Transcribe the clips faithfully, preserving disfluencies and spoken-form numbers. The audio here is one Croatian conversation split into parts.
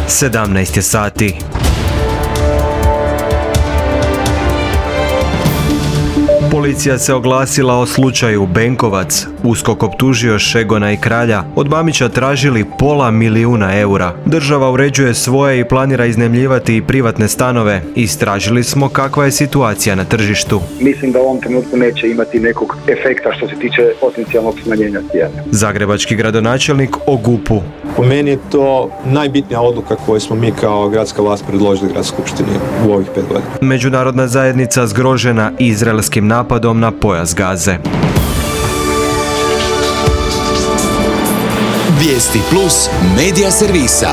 sedamnaest je sati. Policija se oglasila o slučaju Benkovac. USKOK optužio Šegona i Kralja. Od Mamića tražili pola milijuna eura. Država uređuje svoje i planira iznajmljivati i privatne stanove. Istražili smo kakva je situacija na tržištu. Mislim da u ovom trenutku neće imati nekog efekta što se tiče potencijalnog smanjenja cijene. Zagrebački gradonačelnik o G U P-u. Po meni je to najbitnija odluka koju smo mi kao gradska vlast predložili Gradskoj skupštini u ovih pet godina. Međunarodna zajednica zgrožena izraelskim napadom na pojas Gaze. Vijesti plus medija servisa.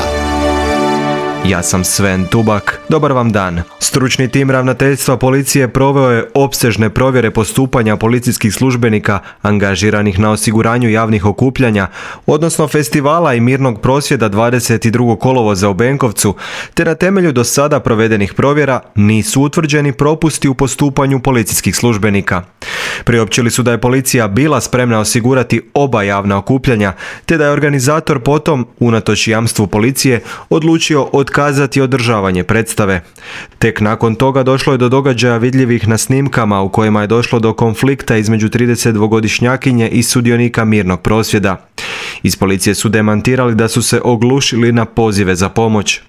Ja sam Sven Tubak. Dobar vam dan. Stručni tim ravnateljstva policije proveo je opsežne provjere postupanja policijskih službenika angažiranih na osiguranju javnih okupljanja, odnosno festivala i mirnog prosvjeda dvadeset drugog kolovoza u Benkovcu, te na temelju do sada provedenih provjera nisu utvrđeni propusti u postupanju policijskih službenika. Priopćili su da je policija bila spremna osigurati oba javna okupljanja, te da je organizator potom, unatoč jamstvu policije, odlučio otkazati održavanje predstave. Tek nakon toga došlo je do događaja vidljivih na snimkama u kojima je došlo do konflikta između tridesetdvogodišnjakinje i sudionika mirnog prosvjeda. Iz policije su demantirali da su se oglušili na pozive za pomoć.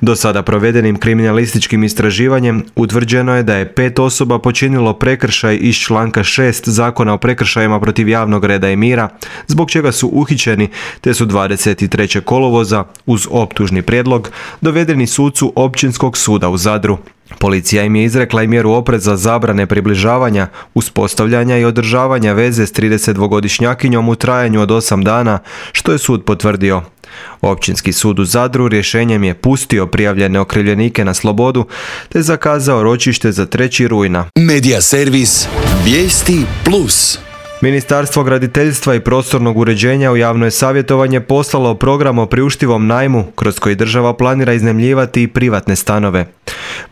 Do sada provedenim kriminalističkim istraživanjem utvrđeno je da je pet osoba počinilo prekršaj iz članka šest Zakona o prekršajima protiv javnog reda i mira, zbog čega su uhićeni, te su dvadeset trećeg kolovoza uz optužni prijedlog dovedeni sucu Općinskog suda u Zadru. Policija im je izrekla i mjeru opreza zabrane približavanja, uspostavljanja i održavanja veze s tridesetdvogodišnjakinjom u trajanju od osam dana, što je sud potvrdio. Općinski sud u Zadru rješenjem je pustio prijavljene okrivljenike na slobodu te zakazao ročište za trećeg rujna. Medija servis Vijesti plus. Ministarstvo graditeljstva i prostornog uređenja u javno je savjetovanje poslalo program o priuštivom najmu kroz koji država planira iznajmljivati i privatne stanove.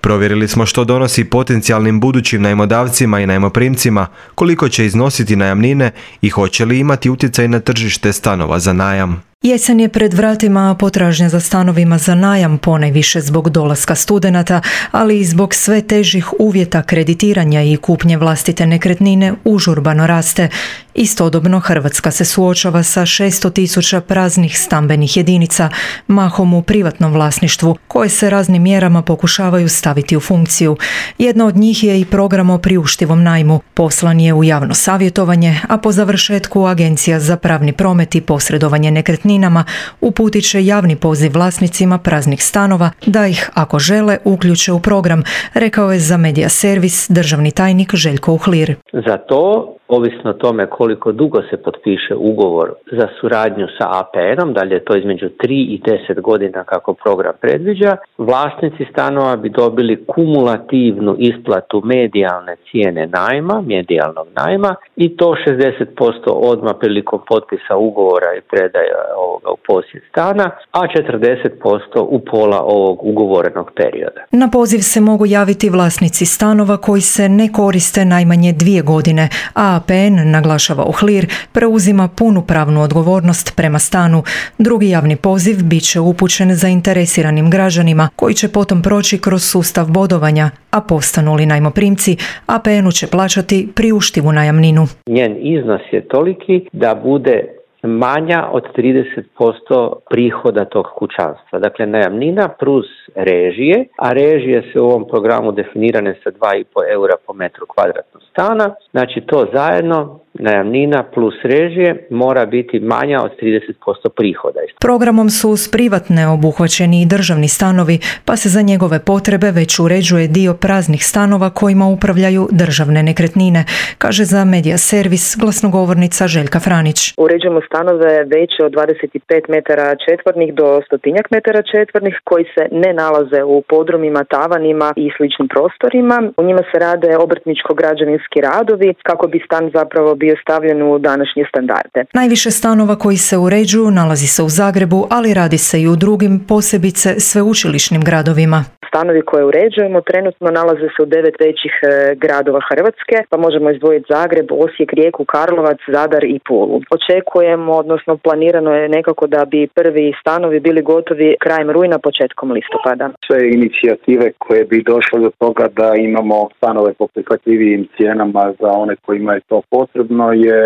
Provjerili smo što donosi potencijalnim budućim najmodavcima i najmoprimcima, koliko će iznositi najamnine i hoće li imati utjecaj na tržište stanova za najam. Jesen je pred vratima, a potražnja za stanovima za najam ponajviše zbog dolaska studenata, ali i zbog sve težih uvjeta kreditiranja i kupnje vlastite nekretnine užurbano raste. Istodobno Hrvatska se suočava sa šesto tisuća praznih stambenih jedinica, mahom u privatnom vlasništvu, koje se raznim mjerama pokušavaju staviti u funkciju. Jedna od njih je i program o priuštivom najmu. Poslan je u javno savjetovanje, a po završetku Agencija za pravni promet i posredovanje nekretninama uputit će javni poziv vlasnicima praznih stanova da ih, ako žele, uključe u program, rekao je za Medija servis državni tajnik Željko Uhlir. Za to, ovisno o tome koliko dugo se potpiše ugovor za suradnju sa A P N-om, da li je to između tri i deset godina kako program predviđa, vlasnici stanova bi dobili kumulativnu isplatu medijalne cijene najma, medijalnog najma, i to šezdeset posto odmah prilikom potpisa ugovora i predaja ovoga u posjed stana, a četrdeset posto u pola ovog ugovorenog perioda. Na poziv se mogu javiti vlasnici stanova koji se ne koriste najmanje dvije godine, a A P N, naglašava Uhlir, preuzima punu pravnu odgovornost prema stanu. Drugi javni poziv bit će upućen zainteresiranim građanima koji će potom proći kroz sustav bodovanja, a postanu li najmoprimci, A P N-u će plaćati priuštivu najamninu. Njen iznos je toliki da bude manja od trideset posto prihoda tog kućanstva. Dakle, najamnina plus režije, a režije se u ovom programu definirane sa dva i pol eura po metru kvadratnog stana. Znači, to zajedno, najamnina plus režije, mora biti manja od trideset posto prihoda. Programom su uz privatne obuhvaćeni i državni stanovi, pa se za njegove potrebe već uređuje dio praznih stanova kojima upravljaju državne nekretnine, kaže za Medija servis glasnogovornica Željka Franić. Uređujemo stanove veće od dvadeset pet metara četvornih do stotinjak metara četvornih koji se ne nalaze u podrumima, tavanima i sličnim prostorima. U njima se rade obrtničko-građevinski radovi kako bi stan zapravo bio bio stavljen u današnje standarde. Najviše stanova koji se uređuju nalazi se u Zagrebu, ali radi se i u drugim, posebice sveučilišnim gradovima. Stanovi koje uređujemo trenutno nalaze se u devet većih e, gradova Hrvatske, pa možemo izdvojiti Zagreb, Osijek, Rijeku, Karlovac, Zadar i Pulu. Očekujemo, odnosno planirano je nekako da bi prvi stanovi bili gotovi krajem rujna, početkom listopada. Sve inicijative koje bi došle do toga da imamo stanove po prihvatljivijim cijenama za one kojima je to potrebno je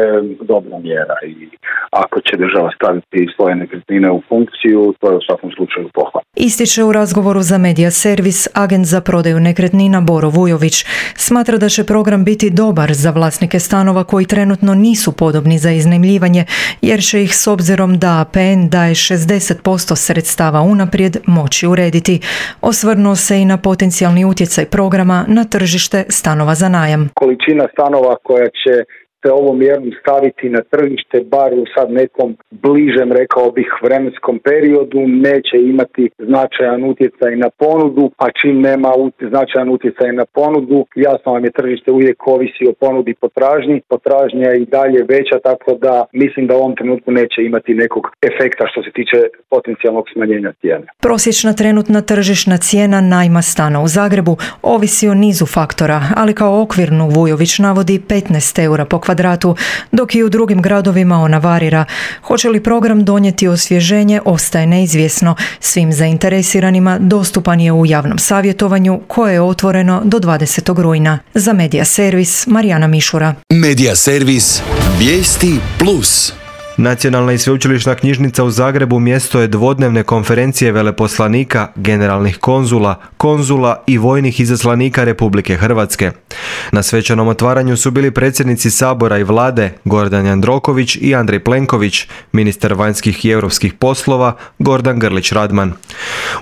dobra mjera i ako će država staviti svoje nekretnine u funkciju, to je u svakom slučaju pohvala. Ističe u razgovoru za Medija Servis agent za prodaju nekretnina Boro Vujović. Smatra da će program biti dobar za vlasnike stanova koji trenutno nisu podobni za iznajmljivanje, jer će ih s obzirom da A P N daje šezdeset posto sredstava unaprijed moći urediti. Osvrnuo se i na potencijalni utjecaj programa na tržište stanova za najam. Količina stanova koja će se ovom mjerom staviti na tržište, bar u sad nekom bližem, rekao bih, vremenskom periodu, neće imati značajan utjecaj na ponudu, a čim nema značajan utjecaj na ponudu, jasno vam je tržište uvijek ovisi o ponudi i potražnji, potražnja je i dalje veća, tako da mislim da u ovom trenutku neće imati nekog efekta što se tiče potencijalnog smanjenja cijene. Prosječna trenutna tržišna cijena najma stana u Zagrebu ovisi o nizu faktora, ali kao okvirnu Vujović navodi petnaest eura po kvadratu, dok i u drugim gradovima ona varira. Hoće li program donijeti osvježenje, ostaje neizvjesno. Svim zainteresiranima dostupan je u javnom savjetovanju koje je otvoreno do dvadesetog rujna. Za Medija Servis, Marijana Mišura. Medija Servis, vijesti plus. Nacionalna i sveučilišna knjižnica u Zagrebu mjesto je dvodnevne konferencije veleposlanika, generalnih konzula, konzula i vojnih izaslanika Republike Hrvatske. Na svečanom otvaranju su bili predsjednici Sabora i Vlade Gordan Jandroković i Andrej Plenković, ministar vanjskih i europskih poslova Gordan Grlić Radman.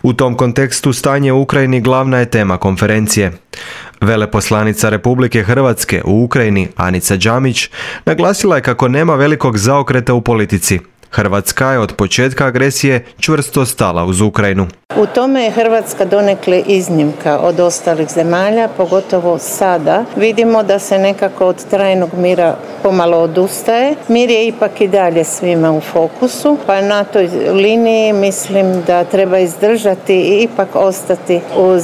U tom kontekstu stanje u Ukrajini glavna je tema konferencije. Veleposlanica Republike Hrvatske u Ukrajini, Anica Đamić, naglasila je kako nema velikog zaokreta u politici. Hrvatska je od početka agresije čvrsto stala uz Ukrajinu. U tome je Hrvatska donekle iznimka od ostalih zemalja, pogotovo sada. Vidimo da se nekako od trajnog mira pomalo odustaje. Mir je ipak i dalje svima u fokusu, pa na toj liniji mislim da treba izdržati i ipak ostati uz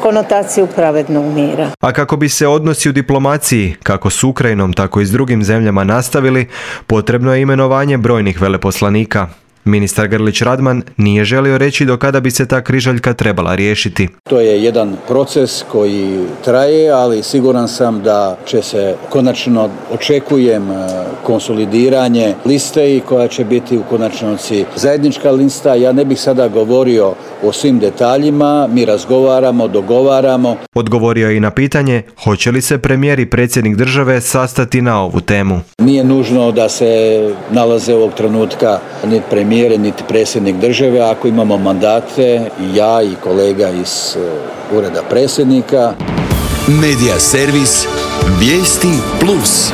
konotaciju pravednog mira. A kako bi se odnosi u diplomaciji, kako s Ukrajinom, tako i s drugim zemljama nastavili, potrebno je imenovanje brojnih veleposlanika. Ministar Grlić Radman nije želio reći do kada bi se ta križaljka trebala riješiti. To je jedan proces koji traje, ali siguran sam da će se konačno, očekujem konsolidiranje liste i koja će biti u konačnici zajednička lista. Ja ne bih sada govorio o svim detaljima, mi razgovaramo, dogovaramo. Odgovorio je i na pitanje hoće li se premijer i predsjednik države sastati na ovu temu. Nije nužno da se nalaze ovog trenutka niti premijer niti predsjednik države, ako imamo mandate, ja i kolega iz uh, ureda predsjednika. Medija Servis, vijesti plus.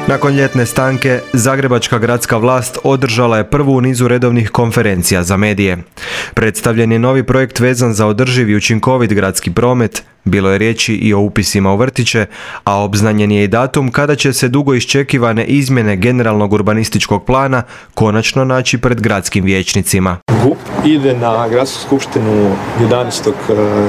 Nakon ljetne stanke, Zagrebačka gradska vlast održala je prvu u nizu redovnih konferencija za medije. Predstavljen je novi projekt vezan za održiv i učinkovit gradski promet, bilo je riječi i o upisima u vrtiće, a obznanjen je i datum kada će se dugo iščekivane izmjene generalnog urbanističkog plana konačno naći pred gradskim vijećnicima. G U P ide na gradsku skupštinu jedanaestog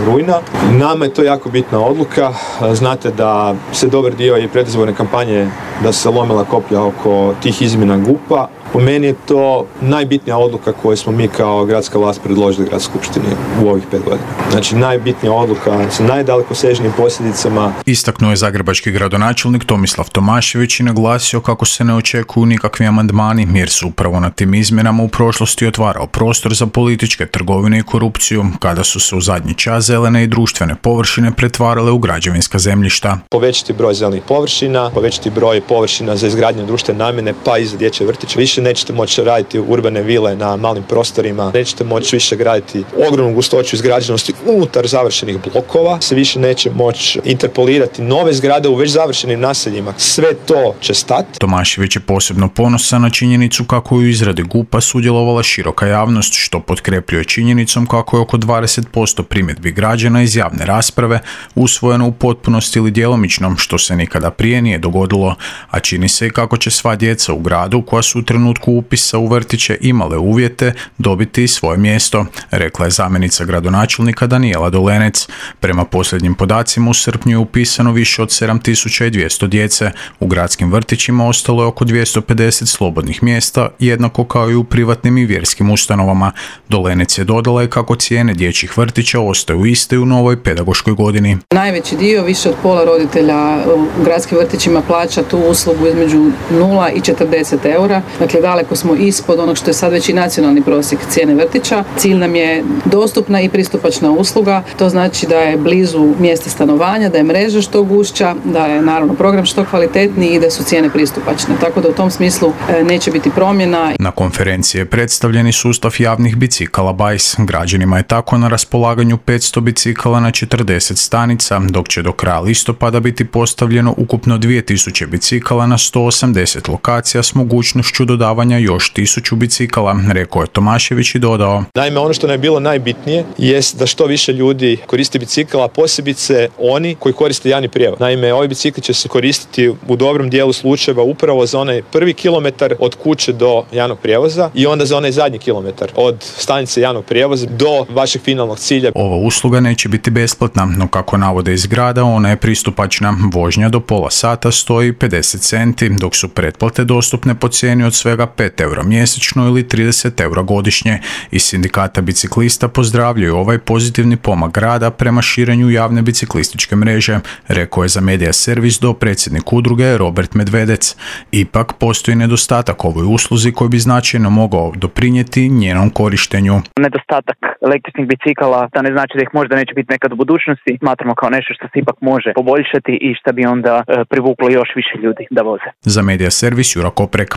rujna. Nama je to jako bitna odluka. Znate da se dobar dio i predizborne kampanje da se lomila koplja oko tih izmjena G U P-a. Po meni je to najbitnija odluka koju smo mi kao gradska vlast predložili gradskoj skupštini u ovih pet godina. Znači najbitnija odluka sa najdalekosežnijim posljedicama. Istaknuo je zagrebački gradonačelnik Tomislav Tomašević i naglasio kako se ne očekuju nikakvi amandmani jer su upravo na tim izmjenama u prošlosti otvarao prostor za političke trgovine i korupciju kada su se u zadnji čas zelene i društvene površine pretvarale u građevinska zemljišta. Povećati broj zelenih površina, povećati broj površina za izgradnju društvene namjene pa i za dječje vrtiće. Više više nećete moći raditi urbane vile na malim prostorima, nećete moći više graditi ogromnu gustoću izgrađenosti unutar završenih blokova, se više neće moći interpolirati nove zgrade u već završenim naseljima. Sve to će stati. Tomašević je posebno ponosan na činjenicu kako je u izradi G U P-a sudjelovala široka javnost, što potkrepljuje činjenicom kako je oko dvadeset posto primjedbi građana iz javne rasprave usvojeno u potpunosti ili djelomično, što se nikada prije nije dogodilo, a čini se i kako će sva djeca u gradu koja su u trenutku upisa u vrtiće imale uvjete dobiti svoje mjesto, rekla je zamjenica gradonačelnika Danijela Dolenec. Prema posljednjim podacima u srpnju je upisano više od sedam tisuća dvjesto djece. U gradskim vrtićima ostalo je oko dvjesto pedeset slobodnih mjesta, jednako kao i u privatnim i vjerskim ustanovama. Dolenec je dodala i kako cijene dječjih vrtića ostaju iste u novoj pedagoškoj godini. Najveći dio, više od pola roditelja u gradskim vrtićima plaća tu uslugu između nula i četrdeset eura. Dakle, daleko smo ispod onog što je sad već i nacionalni prosjek cijene vrtića. Cilj nam je dostupna i pristupačna usluga. To znači da je blizu mjesta stanovanja, da je mreža što gušća, da je naravno program što kvalitetniji i da su cijene pristupačne. Tako da u tom smislu neće biti promjena. Na konferenciji je predstavljeni sustav javnih bicikala Bajs. Građanima je tako na raspolaganju petsto bicikala na četrdeset stanica, dok će do kraja listopada biti postavljeno ukupno dvije tisuće bicikala na sto osamdeset lokacija s mogućnošću dodavanja još tisuću bicikala, rekao je Tomašević i dodao. Naime, ono što nam je bilo najbitnije jest da što više ljudi koristi bicikala, posebice oni koji koriste javni prijevoz. Naime, ovi bicikli će se koristiti u dobrom dijelu slučajeva upravo za onaj prvi kilometar od kuće do javnog prijevoza i onda za onaj zadnji kilometar od stanice javnog prijevoza do vašeg finalnog cilja. Ova usluga neće biti besplatna, no kako navode iz grada, ona je pristupačna. Vožnja do pola sata stoji pedeset centi, dok su pretplate dostupne po cijeni od svega pet eura mjesečno ili trideset eura godišnje. Iz sindikata biciklista pozdravljaju ovaj pozitivni pomak grada prema širenju javne biciklističke mreže, rekao je za Medija Servis dopredsjednik udruge Robert Medvedec. Ipak postoji nedostatak ovoj usluzi koji bi značajno mogao doprinijeti njenom korištenju. Nedostatak električnih bicikala, to ne znači da ih možda neće biti nekad u budućnosti. Smatramo kao nešto što se ipak može poboljšati i što bi onda e, privuklo još više ljudi da voze. Za Medija Servis Jura Koprek.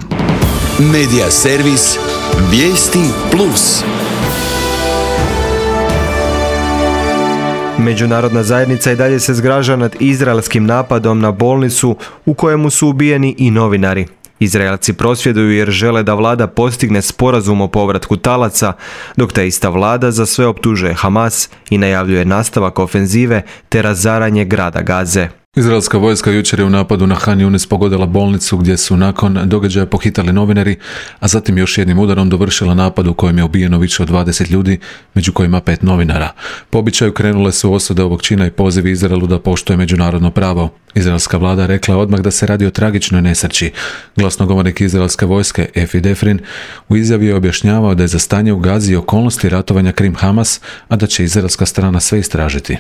Medija Servis, vijesti plus. Međunarodna zajednica i dalje se zgraža nad izraelskim napadom na bolnicu u kojemu su ubijeni i novinari. Izraelci prosvjeduju jer žele da vlada postigne sporazum o povratku talaca, dok ta ista vlada za sve optužuje Hamas i najavljuje nastavak ofenzive te razaranje grada Gaze. Izraelska vojska jučer je u napadu na Han Yunis pogodila bolnicu gdje su nakon događaja pohitali novinari, a zatim još jednim udarom dovršila napad u kojem je ubijeno više od dvadeset ljudi, među kojima pet novinara. Po običaju krenule su osude ovog čina i pozivi Izraelu da poštuje međunarodno pravo. Izraelska vlada rekla je odmah da se radi o tragičnoj nesreći. Glasnogovornik izraelske vojske Efi Defrin u izjavi je objašnjavao da je za stanje u Gazi i okolnosti ratovanja Krim Hamas, a da će izraelska strana sve istražiti.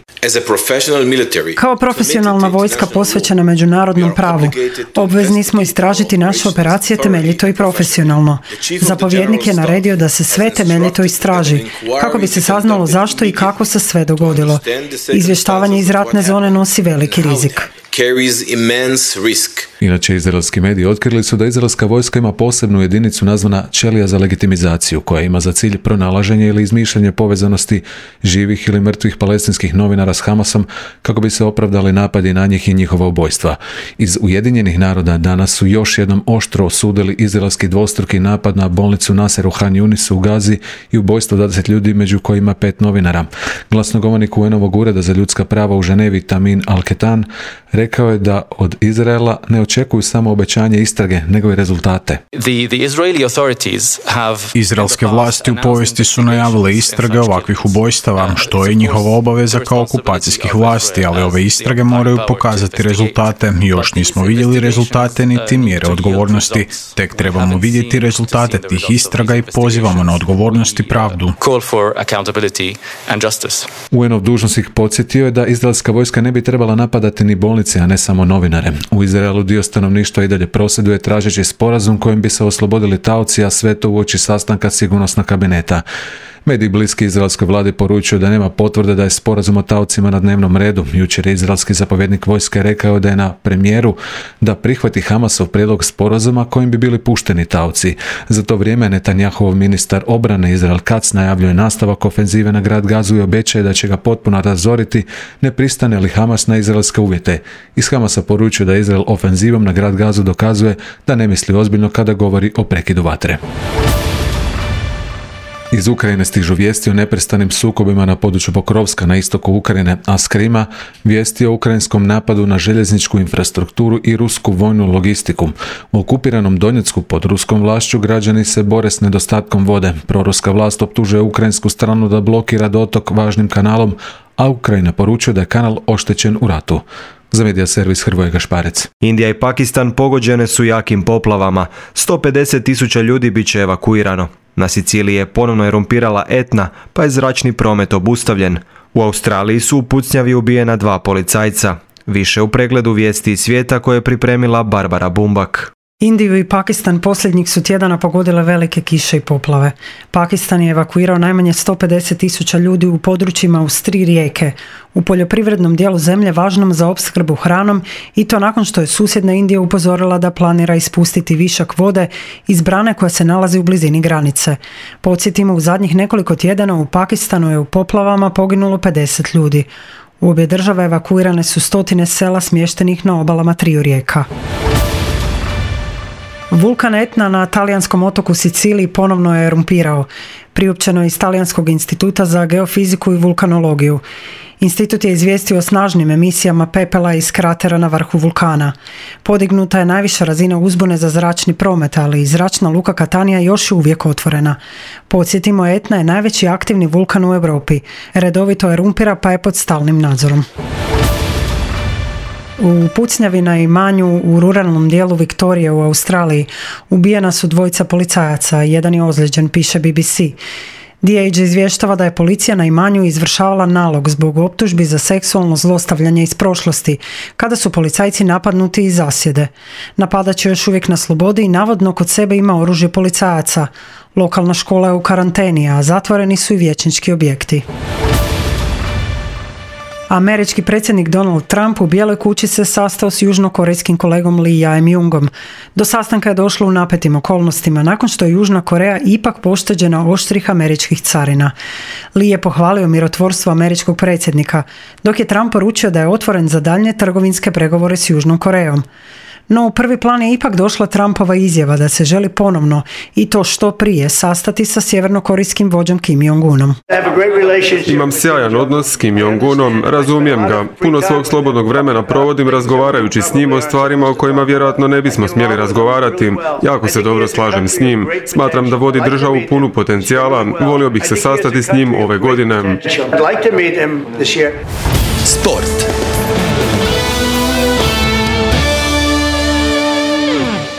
Kao profesionalna vojska posvećena međunarodnom pravu, obvezni smo istražiti naše operacije temeljito i profesionalno. Zapovjednik je naredio da se sve temeljito istraži, kako bi se saznalo zašto i kako se sve dogodilo. Izvještavanje iz ratne zone nosi veliki rizik. Inače, izraelski mediji otkrili su da izraelska vojska ima posebnu jedinicu nazvana ćelija za legitimizaciju, koja ima za cilj pronalaženje ili izmišljanje povezanosti živih ili mrtvih palestinskih novinara s Hamasom kako bi se opravdali napadi na njih i njihova ubojstva. Iz Ujedinjenih naroda danas su još jednom oštro osudili izraelski dvostruki napad na bolnicu Nasser u Han Yunisu u Gazi i ubojstvo dvadeset ljudi, među kojima pet novinara. Glasnogovornik U N-ovog ureda za ljudska prava u Ženevi Tamin Al-Ketan rekao je da od Izraela ne očekuju samo obećanje istrage, nego i rezultate. Izraelske vlasti u povijesti su najavile istrage ovakvih ubojstava, što je njihova obaveza kao okupacijskih vlasti, ali ove istrage moraju pokazati rezultate. Još nismo vidjeli rezultate niti mjere odgovornosti. Tek trebamo vidjeti rezultate tih istraga i pozivamo na odgovornost i pravdu. U N-ov dužnosnik podsjetio je da izraelska vojska ne bi trebala napadati ni bolnice, a ne samo novinare. U Izraelu dio stanovništva i dalje prosvjeduje tražeći sporazum kojim bi se oslobodili taoci, a sve to uoči sastanka sigurnosnog kabineta. Mediji bliski izraelskoj vladi poručuju da nema potvrde da je sporazum o taocima na dnevnom redu. Jučer je izraelski zapovjednik vojske rekao da je na premijeru da prihvati Hamasov prijedlog sporazuma kojim bi bili pušteni taoci. Za to vrijeme Netanjahov ministar obrane Izrael Katz najavljuje nastavak ofenzive na grad Gazu i obećaje da će ga potpuno razoriti ne pristane li Hamas na izraelske uvjete. Iz Hamasa poručuje da Izrael ofenzivom na grad Gazu dokazuje da ne misli ozbiljno kada govori o prekidu vatre. Iz Ukrajine stižu vijesti o neprestanim sukobima na području Pokrovska na istoku Ukrajine, a s Krima vijesti o ukrajinskom napadu na željezničku infrastrukturu i rusku vojnu logistiku. U okupiranom Donjecku pod ruskom vlašću građani se bore s nedostatkom vode. Proruska vlast optužuje ukrajinsku stranu da blokira dotok važnim kanalom, a Ukrajina poručuje da je kanal oštećen u ratu. Za medija servis Hrvoje Gašparec. Indija i Pakistan pogođene su jakim poplavama. sto pedeset tisuća ljudi bit će evakuirano. Na Siciliji je ponovno erumpirala Etna, pa je zračni promet obustavljen. U Australiji su u pucnjavi ubijena dva policajca. Više u pregledu vijesti iz svijeta koje je pripremila Barbara Bumbak. Indiju i Pakistan posljednjih su tjedana pogodile velike kiše i poplave. Pakistan je evakuirao najmanje sto pedeset tisuća ljudi u područjima uz tri rijeke, u poljoprivrednom dijelu zemlje važnom za opskrbu hranom, i to nakon što je susjedna Indija upozorila da planira ispustiti višak vode iz brane koja se nalazi u blizini granice. Podsjetimo, u zadnjih nekoliko tjedana u Pakistanu je u poplavama poginulo pedeset ljudi. U obje države evakuirane su stotine sela smještenih na obalama triju rijeka. Vulkan Etna na talijanskom otoku Siciliji ponovno je erumpirao. Priopćeno je iz Talijanskog instituta za geofiziku i vulkanologiju. Institut je izvijestio o snažnim emisijama pepela iz kratera na vrhu vulkana. Podignuta je najviša razina uzbune za zračni promet, ali i zračna luka Catania još je uvijek otvorena. Podsjetimo, Etna je najveći aktivni vulkan u Europi. Redovito erumpira pa je pod stalnim nadzorom. U pucnjavi na imanju u ruralnom dijelu Viktorije u Australiji ubijena su dvojica policajaca, jedan je ozlijeđen, piše B B C. D H izvještava da je policija na imanju izvršavala nalog zbog optužbi za seksualno zlostavljanje iz prošlosti, kada su policajci napadnuti iz zasjede. Napadač je još uvijek na slobodi i navodno kod sebe ima oružje policajaca. Lokalna škola je u karanteni, a zatvoreni su i vijećnički objekti. Američki predsjednik Donald Trump u Bijeloj kući se sastao s južnokorejskim kolegom Lee Jae-myungom. Do sastanka je došlo u napetim okolnostima nakon što je Južna Koreja ipak pošteđena oštrih američkih carina. Lee je pohvalio mirotvorstvo američkog predsjednika, dok je Trump poručio da je otvoren za daljnje trgovinske pregovore s Južnom Korejom. No u prvi plan je ipak došla Trumpova izjava da se želi ponovno, i to što prije, sastati sa sjevernokorejskim vođom Kim Jong-unom. Imam sjajan odnos s Kim Jong-unom, razumijem ga. Puno svog slobodnog vremena provodim razgovarajući s njim o stvarima o kojima vjerojatno ne bismo smjeli razgovarati. Jako se dobro slažem s njim. Smatram da vodi državu punu potencijala. Volio bih se sastati s njim ove godine. Sport.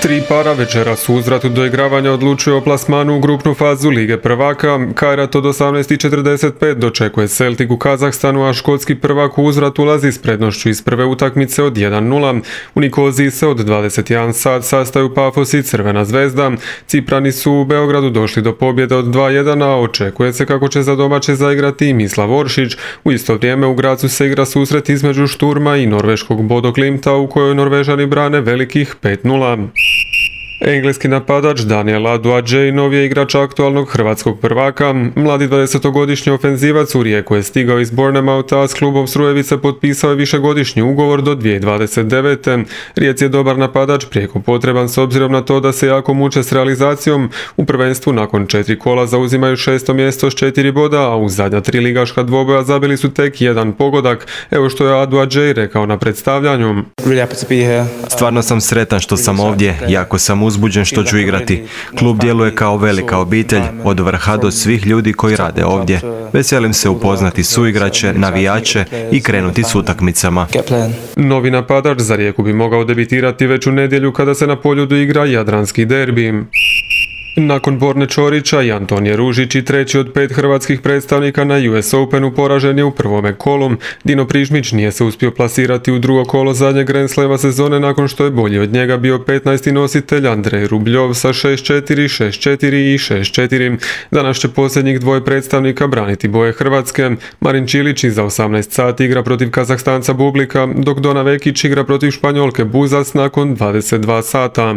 Tri para večeras u uzvratu doigravanja odlučuje o plasmanu u grupnu fazu Lige prvaka. Kairat od osamnaest četrdeset pet dočekuje Celtic u Kazahstanu, a škotski prvak u uzvrat ulazi s prednošću iz prve utakmice od jedan nula. U Nikoziji se od dvadeset jedan sat sastaju Pafos i Crvena zvezda. Ciprani su u Beogradu došli do pobjede od dva jedan, a očekuje se kako će za domaće zaigrati i Mislav Oršić. U isto vrijeme u Gracu se igra susret između Šturma i norveškog Bodo Klimta, u kojoj Norvežani brane velikih pet nula. Engleski napadač Daniel Aduadžej novi je igrač aktualnog hrvatskog prvaka. Mladi dvadesetogodišnji ofenzivac u Rijeku je stigao iz Bournemoutha, a s klubom Strujevice potpisao je višegodišnji ugovor do dvije tisuće dvadeset devete. Rijeci je dobar napadač, prijeko potreban s obzirom na to da se jako muče s realizacijom. U prvenstvu nakon četiri kola zauzimaju šesto mjesto s četiri boda, a u zadnja tri ligaška dvoboja zabili su tek jedan pogodak. Evo što je Aduadžej rekao na predstavljanju. Stvarno sam sretan što sam ovdje, jako sam uzbuđen što ću igrati. Klub djeluje kao velika obitelj, od vrha do svih ljudi koji rade ovdje. Veselim se upoznati suigrače, navijače i krenuti s utakmicama. Novi napadač za Rijeku bi mogao debitirati već u nedjelju kada se na Poljudu igra jadranski derbi. Nakon Borne Čorića i Antonije Ružić i treći od pet hrvatskih predstavnika na U S Openu poražen je u prvome kolu. Dino Prižmić nije se uspio plasirati u drugo kolo zadnjeg Grand Slema sezone nakon što je bolji od njega bio petnaesti nositelj Andrej Rubljov sa šest četiri, šest četiri i šest četiri. Danas će posljednjih dvoje predstavnika braniti boje Hrvatske. Marin Čilić iza osamnaest sati igra protiv Kazahstanca Bublika, dok Dona Vekić igra protiv Španjolke Buzas nakon dvadeset dva sata.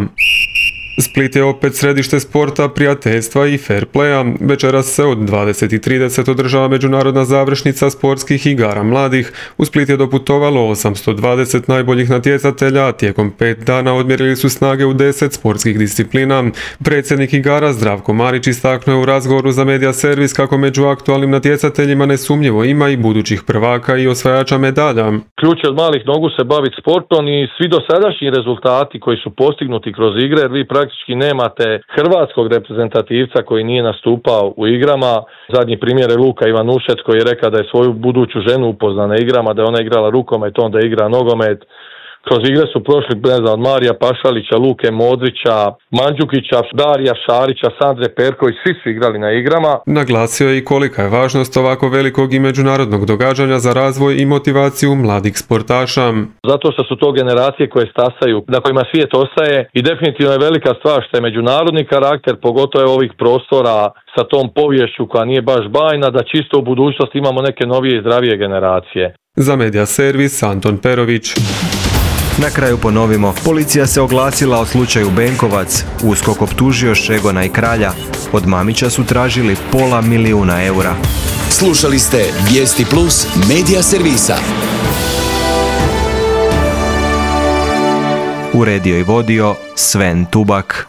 Split je opet središte sporta, prijateljstva i fair playa. Večeras se od dvadeset i trideset održava međunarodna završnica sportskih igara mladih. U Split je doputovalo osamsto dvadeset najboljih natjecatelja, a tijekom pet dana odmjerili su snage u deset sportskih disciplina. Predsjednik igara Zdravko Marić istaknuo je u razgovoru za Media Servis kako među aktualnim natjecateljima nesumnjivo ima i budućih prvaka i osvajača medalja. Ključ je od malih nogu se baviti sportom i svi dosadašnji rezultati koji su postignuti kroz igre, jer vi praktički nemate hrvatskog reprezentativca koji nije nastupao u igrama. Zadnji primjer je Luka Ivanušec koji je rekao da je svoju buduću ženu upoznao na igrama, da je ona igrala rukomet, onda igra nogomet. Kroz igre su prošli, ne znam, od Marija Pašalića, Luke Modrića, Mandžukića, Darija Šarića, Sandre Perković, svi su igrali na igrama. Naglasio je i kolika je važnost ovako velikog i međunarodnog događanja za razvoj i motivaciju mladih sportaša. Zato što su to generacije koje stasaju, na kojima svijet ostaje i definitivno je velika stvar što je međunarodni karakter, pogotovo ovih prostora sa tom poviješću koja nije baš bajna, da čisto u budućnosti imamo neke novije i zdravije generacije. Za Media Servis, Anton Perović. Na kraju ponovimo, policija se oglasila o slučaju Benkovac, USKOK optužio Šegona i Kralja, od Mamića su tražili pola milijuna eura. Slušali ste Vijesti Plus Media Servisa. Uredio i vodio Sven Tubak.